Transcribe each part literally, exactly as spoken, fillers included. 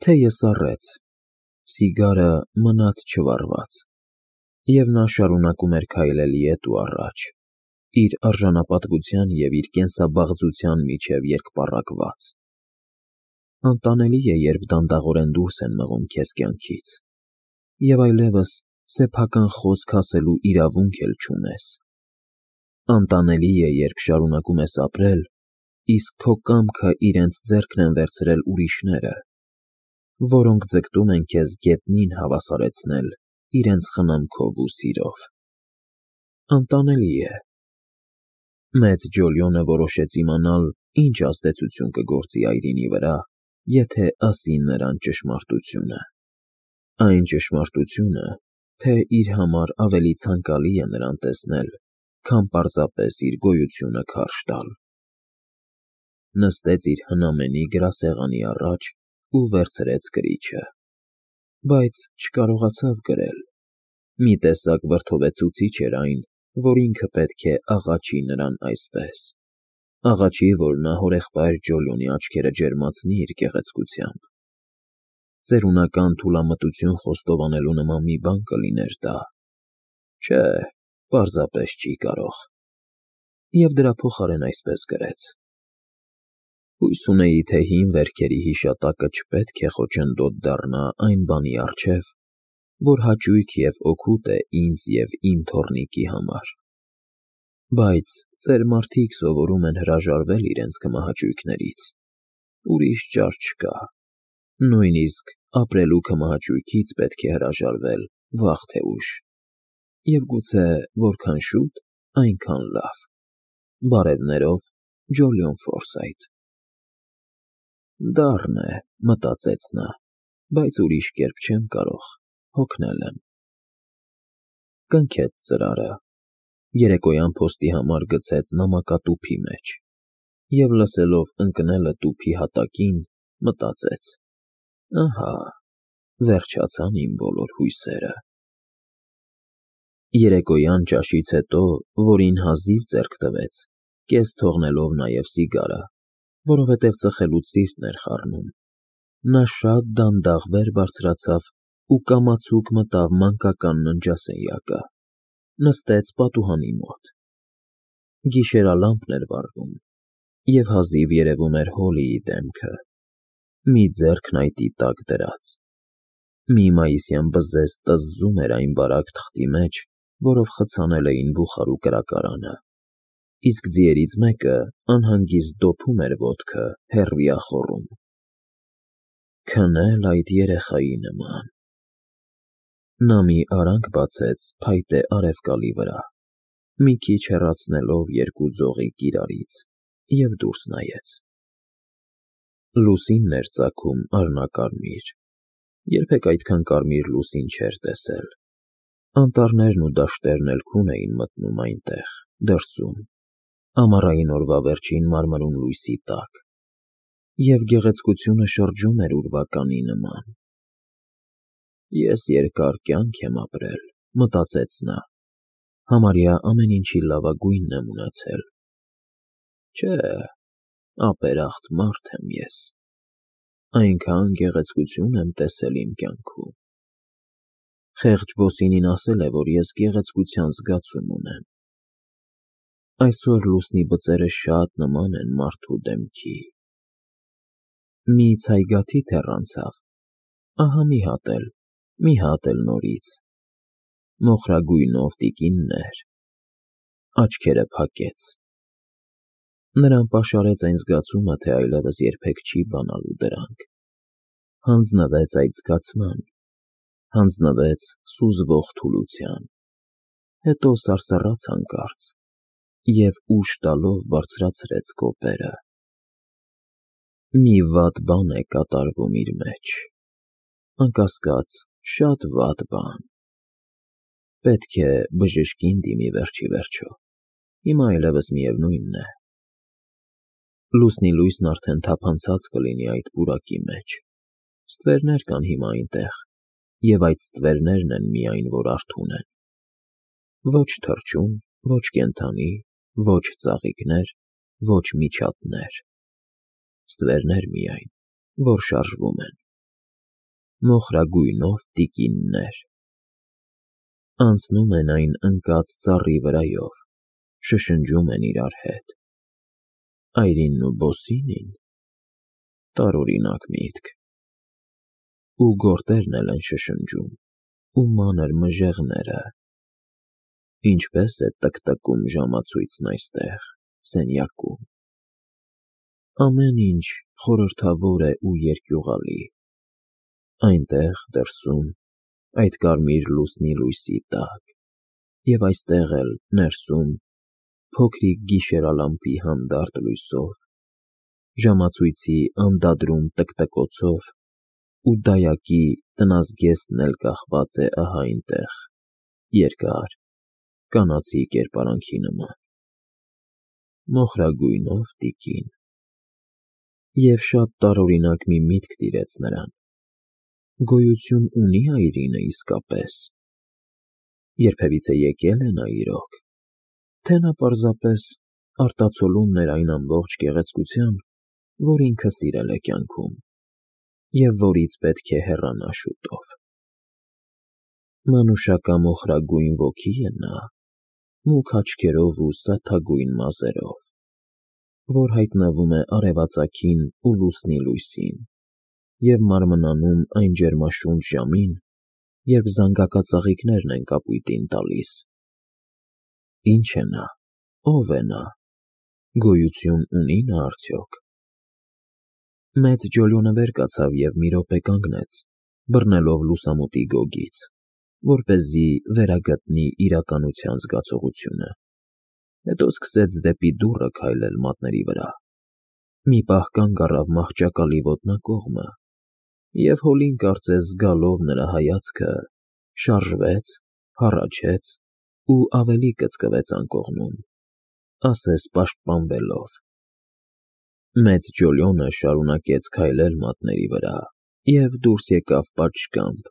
Թեյը սառեց, սիգարը մնաց չվառված, և նա շարունակում էր քայլել ետ ու առաջ, իր արժանապատվության և իր կենսաբաղձության միջև երկպառակված։ Անտանելի է, երբ դանդաղորեն դուրս են մղում քեզ կյանքից, և այլևս սեփական խոսք ասելու իրավունք էլ չունես։ Անտանելի է, երբ շարունակում ես ապրել, իսկ քո կամքը իրենց ձեռքն են վերցրել ուրիշները, որոնք ձգտում են քեզ գետնին հավասարեցնել իրենց խնամքով ու սիրով։ Անտանելի է։ Մեծ Ջոլիոնը որոշեց իմանալ, ինչ ազդեցություն կգործի այրինի վրա, եթե ասի նրան ճշմարտությունը։ Այն ճշմարտությունը, թե իր համար ավելի ցանկալի է նրան տեսնել, քան պարզապես իր գոյությունը քարշ տալ։ Նստեց իր հնամենի գրասեղանի առաջ ու վերցրեց կրիչը, բայց չկարողացավ գրել։ Մի տեսակ վրդովեցուցիչ էր այն, որ ինքը պետք է աղաչի նրան այսպես, աղաչի, որ նա հորեղբայր Ջոլիոնի աչքերը ջերմացնի իր գեղեցկությամբ։ Ծերունական թուլամտություն խոստովանելու նման մի բան կլիներ դա։ Չէ, պարզապես չի կարող։ Եվ դրա փոխարեն այսպես գրեց. «Հույս ունեի, թե հին վերքերի հիշատակը չպետք է խոչընդոտ դառնա այն բանի առջև, որ հաճույք և օգուտ է ինձ և իմ թոռնիկի համար։ Բայց ծեր մարդիկ սովորում են հրաժարվել իրենց քմահաճույքներից, ուրիշ ճար չկա, նույնիսկ ապրելու քմահաճույքից պետք է հրաժարվել վաղ թե ուշ, և գուցե որքան շուտ, այնքան լավ։ Բարևներով, Ջոլիոն Ֆորսայթ»։ Դառն է, մտածեց նա, բայց ուրիշ կերպ չեմ կարող, հոգնել եմ։ Կնքեց ծրարը, երեկոյան փոստի համար գցեց նամակատուփի մեջ և, լսելով ընկնելը տուփի հատակին, մտածեց. ահա, վերջացան իմ բոլոր հույսերը։ Երեկոյան ճաշից հետո, որին հազիվ ձեռք տվեց, կես թողնելով նաև սիգարը, որովհետև ծխելուց սիրտն էր խառնում, նա շատ դանդաղ վեր բարձրացավ ու կամացուկ մտավ մանկական ննջասենյակը, նստեց պատուհանի մոտ։ Գիշերալամպն էր վառվում, և հազիվ երևում էր Հոլիի դեմքը, մի ձեռքն այտի տակ դրած։ Մի մայիսյան բզեզ տզզում էր այն բարակ թղթի մեջ, որով խցանել էին բուխար ու կրակարանը, իսկ ձիերից մեկը անհանգիստ դոփում էր ոտքը, հեռվիախոռում։ Քնել այդ երեխայի նման։ Նա մի արանք բացեց փայտե արևկալի վրա, մի քիչ հեռացնելով երկու ձողիկ իրարից, և դուրս նայեց։ Լուսինն էր ծագում արհնակարմիր, երբեք այդքան կարմիր լուսին չէր տեսել։ Անտառներն ու դաշտերն էլ քուն էին մտնում այնտեղ, դրսում, ամառային օրվա վերջին մարմրուն լույսի տակ, և գեղեցկությունը շրջում էր ուրվականի նման։ Ես երկար կյանք եմ ապրել, մտածեց նա, համարյա ամեն ինչի լավագույնն եմ ունեցել։ Չէ, ապերախտ մարդ եմ ես, այնքան գեղեցկություն եմ տեսել իմ կյանքում։ Խեղճ Բոսինին ասել է, որ ես գեղեցկության զգացում ունեմ։ Այսօր լուսնի բծերը շատ նման են մարդու դեմքի։ Մի ցայգաթիթ հեռանցավ, ահա մի հատ էլ, մի հատ էլ նորից, մոխրագույնով տիկիններ, աչքերը փակեց։ Նրան պաշարեց այն զգացումը, թե այլևս երբեք չի բանալու դրանք։ Հանձնվեց այդ զգացման, հանձնվեց սուզվող թուլության, հետո սարսռաց հանկարծ և ուժ տալով բարձրացրեց կոպերը։ Մի վատ բան է կատարվում իր մեջ, անկասկած, շատ վատ բան։ Պետք է բժշկին դիմի վերջիվերջո, հիմա այլևս միևնույնն է։ Լուսնի լույսն արդեն թափանցած կլինի այդ պուրակի մեջ, ստվերներ կան հիմա այնտեղ, և այդ ստվերներն են միայն, որ արթուն են։ Ոչ թռչուն, ոչ կենդանի, ոչ ծաղիկներ, ոչ միջատներ, ստվերներ միայն, որ շարժվում են։ մոխրագույնով տիկիններ։ Անցնում են այն ընկած ծառի վրայով, շշնջում են իրար հետ։ Այրինն ու Բոսինին, տարօրինակ միտք։ Ու գորտերն էլ են շշնջում, ու մանր մժեղները։ Ինչպես է տկտկում ժամացույցն այստեղ, սենյակում։ Ամեն ինչ խորհրդավոր է ու երկյուղալի։ Այնտեղ, դրսում, այդ կարմիր լուսնի լույսի տակ, և այստեղ էլ, ներսում, փոքրիկ գիշերալամպի հանդարտ լույսով, ժամացույցի անդադրում տկտկոցով, ու դայակի տնազգեստն էլ կախված է ահա այնտեղ, երկար, կանացի կերպարանքի նման։ Մոխրագույնով տիկին։ Եվ շատ տարօրինակ մի միտք տիրեց նրան. գոյություն ունի՞ այրինը իսկապես, երբևիցե եկե՞լ է նա իրոք, թե նա պարզապես արտացոլումն էր այն ամբողջ գեղեցկության, որ ինքը սիրել է կյանքում, և որից պետք է հեռանա շուտով։ Մանուշակամոխրագույն ոգի է նա, մուգ աչքերով ու սաթագույն մազերով, որ հայտնվում է արևածագին ու լուսնի լույսին, և մարմնանում այն ջերմաշունչ ժամին, երբ զանգակածաղիկներն են կապույտին տալիս։ Ի՞նչ է նա, ո՞վ է նա, գոյություն ունի՞ նա արդյոք։ Մեծ Ջոլիոնը վեր կացավ և մի րոպե կանգնեց, բռնելով լուսամուտի գոգից, որպեսզի վերագտնի իրականության զգացողությունը, հետո սկսեց դեպի դուռը քայլել մատների վրա, մի պահ կանգ առավ մահճակալի ոտնակողմը, և հոլին կարծես զգալով նրա հայացքը, շարժվեց, հառաչեց ու ավելի կծկվեց անկողնում, ասես պաշտպանվելով։ Մեծ Ջոլիոնը շարունակեց քայլել մատների վրա և դուրս եկավ պատշգամբ,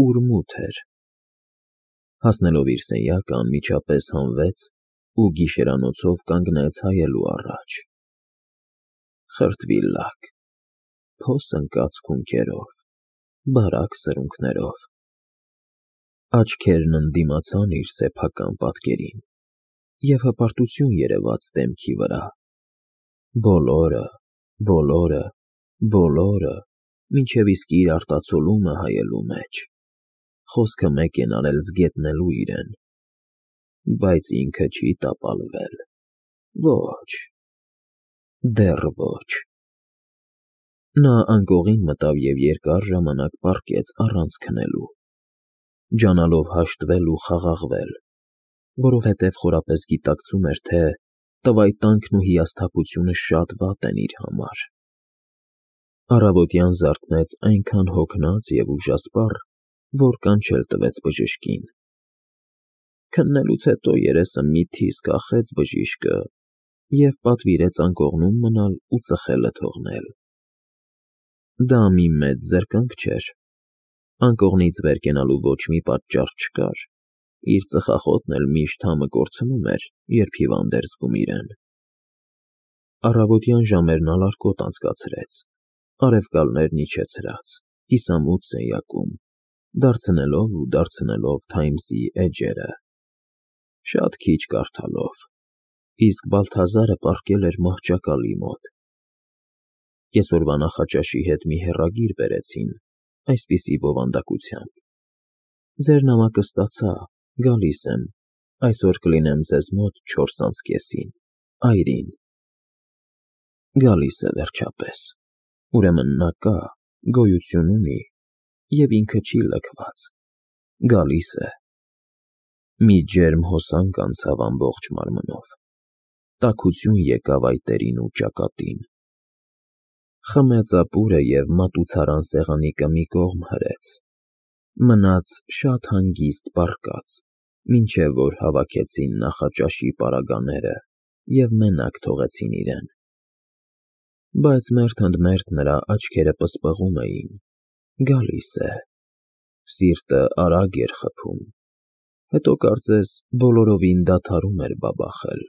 ուր մութ էր։ Հասնելով իր սենյակը, անմիջապես հանվեց ու գիշերանոցով կանգնեց հայելու առաջ։ Խրտվիլակ, փոս ընկած քունքերով, բարակ սրունքներով։ Աչքերն ընդդիմացան իր սեփական պատկերին, և հպարտություն երևաց դեմքի վրա։ Բոլորը, բոլորը, բոլորը, մինչև իսկ իր արտացոլումը հայելու մեջ, խոսքը մեկ են արել զգետնելու իրեն, բայց ինքը չի տապալվել, ոչ, դեռ ոչ։ Նա անկողին մտավ և երկար ժամանակ պառկեց առանց քնելու, ջանալով հաշտվել ու խաղաղվել, որովհետև խորապես գիտակցում էր, թե տվայտանքն ու հիասթափությունը շատ վատ են իր համար։ Առավոտյան զարթնեց այնքան հոգնած և ուժասպառ, որ կանչել տվեց բժշկին։ Քննելուց հետո երեսը միտքից կախեց բժիշկը և պատվիրեց անկողնում մնալ ու ծխելը թողնել։ Դա մի մեծ զրկանք չէր, անկողնից վեր կենալու ոչ մի պատճառ չկար, իր ծխախոտն էլ միշտ համը կորցնում էր, երբ հիվանդ էր զգում իրեն։ Առավոտյան ժամերն ալարկոտ անցկացրեց, արևկալներն իջեցրած, կիսամութ սենյակում, դարձնելով ու դարձնելով Թայմսի էջերը, շատ քիչ կարդալով, իսկ Բալթազարը պառկել էր մահճակալի մոտ։ Կեսօրվա նախաճաշի հետ մի հեռագիր բերեցին, այսպիսի բովանդակությամբ. «Ձեր նամակը ստացա, գալիս եմ, այսօր կլինեմ ձեզ մոտ չորս անց կեսին, Այրին»։ Գալիս է վերջապես, ուրեմն նա կա, գոյություն ունի, և ինքը չի լքված, գալիս է։ Մի ջերմ հոսանք անցավ ամբողջ մարմնով, տաքություն եկավ այտերին ու ճակատին։ Խմեց ապուրը և մատուցարան սեղանիկը մի կողմ հրեց, մնաց շատ հանգիստ պառկած, մինչև որ հավաքեցին նախաճաշի պարագաները և մենակ թողեցին իրեն։ Բայց մերթ ընդ մերթ նրա աչքերը պսպղում էին. գալիս է։ Սիրտը արագ էր խփում, հետո կարծես բոլորովին դադարում էր բաբախել։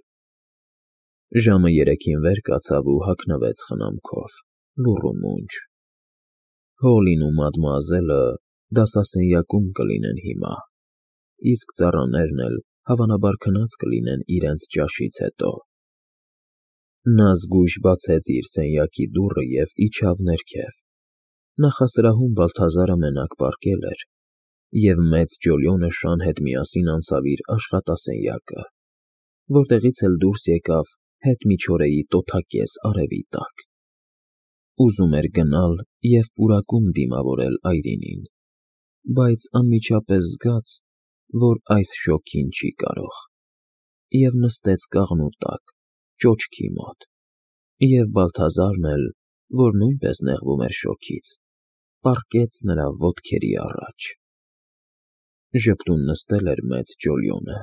Ժամը երեքին վեր կացավ ու հագնվեց խնամքով, լուռ ու մունջ։ Հոլին ու մադմուազելը դասասենյակում կլինեն հիմա, իսկ ծառաներն էլ հավանաբար քնած կլինեն իրենց ճաշից հետո։ Նա զգույշ բացեց իր սենյակի դուռը և իջավ ներքև։ Նախասրահում Բալթազարը մենակ պառկել էր, և մեծ Ջոլիոնը շան հետ միասին անցավ իր աշխատասենյակը, որտեղից էլ դուրս եկավ հետմիջօրեի տոթակեզ արևի տակ։ Ուզում էր գնալ և պուրակում դիմավորել Այրինին, բայց անմիջապես զգաց, որ այս շոգին չի կարող, և նստեց կաղնու տակ, ճոճքի մոտ, և Բալթազարն էլ, որ նույնպես նեղվում էր շոգից, պառկեց նրա ոտքերի առաջ։ Ժպտուն նստել էր մեծ Ջոլիոնը,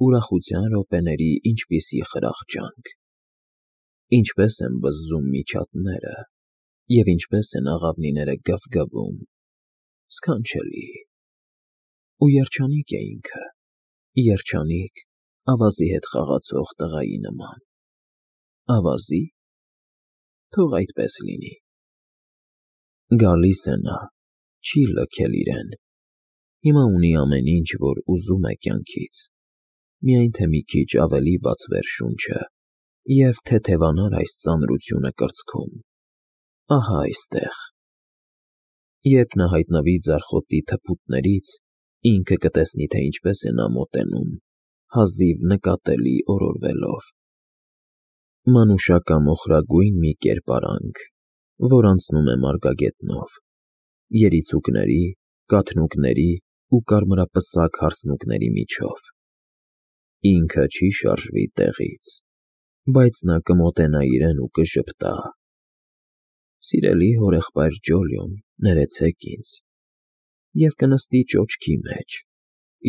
ուրախության րոպեների ինչպիսի խրախճանք… Ինչպես են բզզում միջատները, և ինչպես են աղավնիները գվգվում… Սքանչելի… Ու երջանիկ է ինքը, երջանիկ, ավազի հետ խաղացող տղայի նման… Ավազի՞… Թող այդպես լինի… Գալիս է նա, չի լքել իրեն… Հիմա ունի ամեն ինչ, որ ուզում է կյանքից, միայն թե մի քիչ ավելի բացվեր շունչը և թեթևանար այս ծանրությունը կրծքում… Ահա այստեղ… Երբ նա հայտնվի ձարխոտի թփուտներից, ինքը կտեսնի, թե ինչպես է նա մոտենում, հազիվ նկատելի օրորվելով… Մանուշակամոխրագույն մի կերպարանք, որ անցնում է մարգագետնով, երիցուկների, կաթնուկների ու կարմրապսակ հարսնուկների միջով… Ինքը չի շարժվի տեղից, բայց նա կմոտենա իրեն ու կժպտա. «Սիրելի հորեղբայր Ջոլիոն, ներեցեք ինձ», և կնստի ճոճքի մեջ,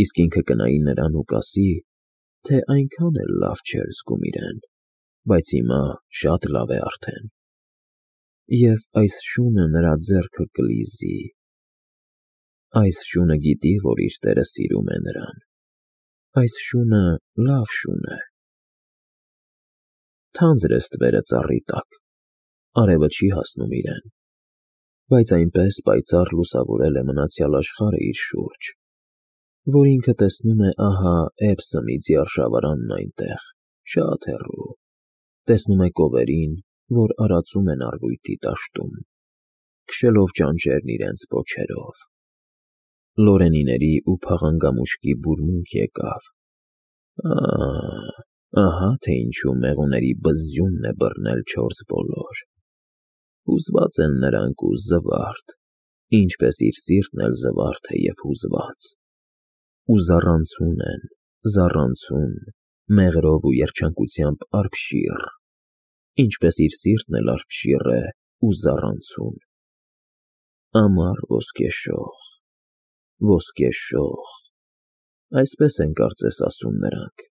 իսկ ինքը կնայի նրան ու կասի, թե այնքան էլ լավ չէր զգում իրեն, բայց հիմա շատ լավ է արդեն… Եվ այս շունը նրա ձեռքը կլիզի… Այս շունը գիտի, որ իր տերը սիրում է նրան… Այս շունը լավ շուն է… Թանձր է ստվերը ծառի տակ, արևը չի հասնում իրեն, բայց այնպես պայծառ լուսավորել է մնացյալ աշխարհը իր շուրջ, որ ինքը տեսնում է ահա Էբսոմի ձիարժավարանն այնտեղ, շատ հեռու, տեսնում է կովերին, որ արածում են առվույտի դաշտում, քշելով ճանճերն իրենց պոչերով… Լորենիների ու փաղանգամուշկի բուրմունք եկավ… Ա՜, ահա թե ինչու մեղուների բզզյունն է բռնել չորս բոլոր… Հուզված են նրանք ու զվարթ, ինչպես իր սիրտն էլ զվարթ է և հուզված… Ու զառանցում են, զառանցում, մեղրով ու երջանկությամբ արբշիռ, ինչպես իր սիրտն էլ արբշիռ է ու զառանցում… Ամառ ոսկեշող… Ոսկե շող… Այսպես են կարծես ասում նրանք…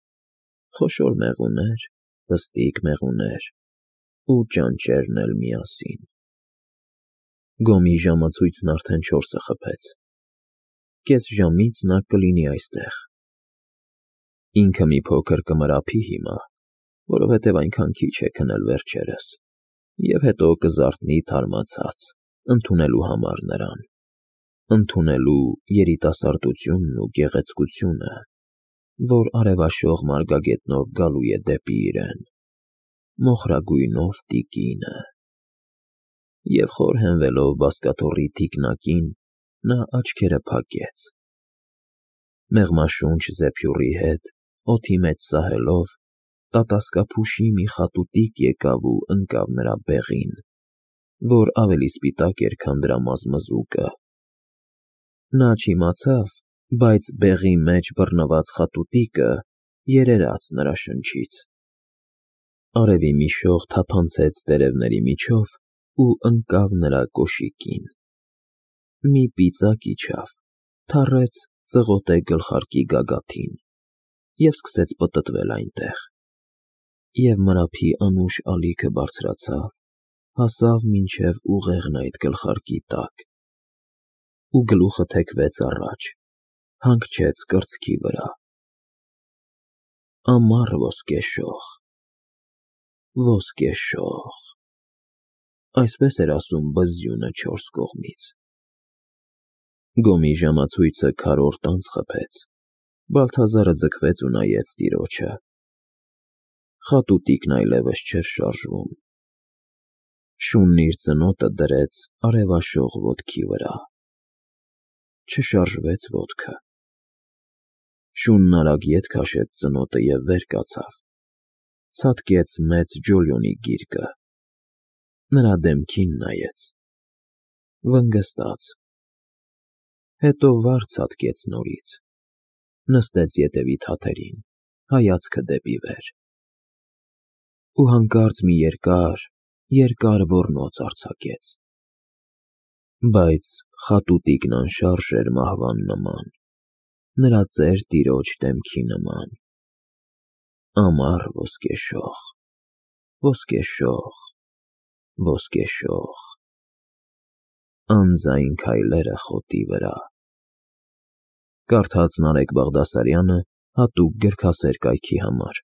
Խոշոր մեղուներ, պստիկ մեղուներ ու ճանճերն էլ միասին… Գոմի ժամացույցն արդեն չորսը խփեց… Կես ժամից նա կլինի այստեղ… Ինքը մի փոքր կմրափի հիմա, որովհետև այնքան քիչ է քնել վերջերս, և հետո կզարթնի թարմացած, ընդունելու համար նրան… Ընդունելու երիտասարդությունն ու գեղեցկությունը, որ արևաշող մարգագետնով գալու է դեպի իրեն… Մոխրագույնով տիկինը… Եվ խոր հենվելով բազկաթոռի թիկնակին, նա աչքերը փակեց… Մեղմաշունչ զեփյուռի հետ, օդի մեջ սահելով, տատասկափուշի մի խատուտիկ եկավ ու ընկավ նրա բեղին, որ ավելի սպիտակ էր, քան դրա մազմզուկը… Նա չիմացավ, բայց բեղի մեջ բռնված խատուտիկը երերաց նրա շնչից… Արևի մի շող թափանցեց տերևների միջով ու ընկավ նրա կոշիկին… Մի ծիծակ իջավ, թռեց ծղոտե գլխարկի գագաթին և սկսեց պտտվել այնտեղ… Եվ մրափի անուշ ալիքը բարձրացավ, հասավ մինչև ուղեղն այդ գլխարկի տակ… Ու գլուխը թեքվեց առաջ, հանգչեց կրծքի վրա… Ամառ ոսկեշող… Ոսկե շող… Այսպես էր ասում բզզյունը չորս կողմից։ Գոմի ժամացույցը քառորդ անց խփեց, Բալթազարը ձգվեց ու նայեց տիրոջը։ Խատուտիկն այլևս չէր շարժվում։ Շունն իր ծնոտը դրեց արևաշող ոտքի վրա։ Չշարժվեց ոտքը։ Շունն արագ ետ քաշեց ծնոտը և վեր կացավ, ցատկեց մեծ Ջոլիոնի գիրկը, նրա դեմքին նայեց, վնգստաց, հետո վար ցատկեց նորից, նստեց ետևի թաթերին, հայացքը դեպի վեր, ու հանկարծ մի երկար, երկար ոռնոց արձակեց, բայց խատուտիկն անշարժ էր մահվան նման, նրա ծեր տիրոջ դեմքի նման, ամառ ոսկեշող, ոսկեշող, ոսկեշող, անձայն քայլերը խոտի վրա։ Կարդաց Նարեկ Բաղդասարյանը հատուկ գրքասեր կայքի համար։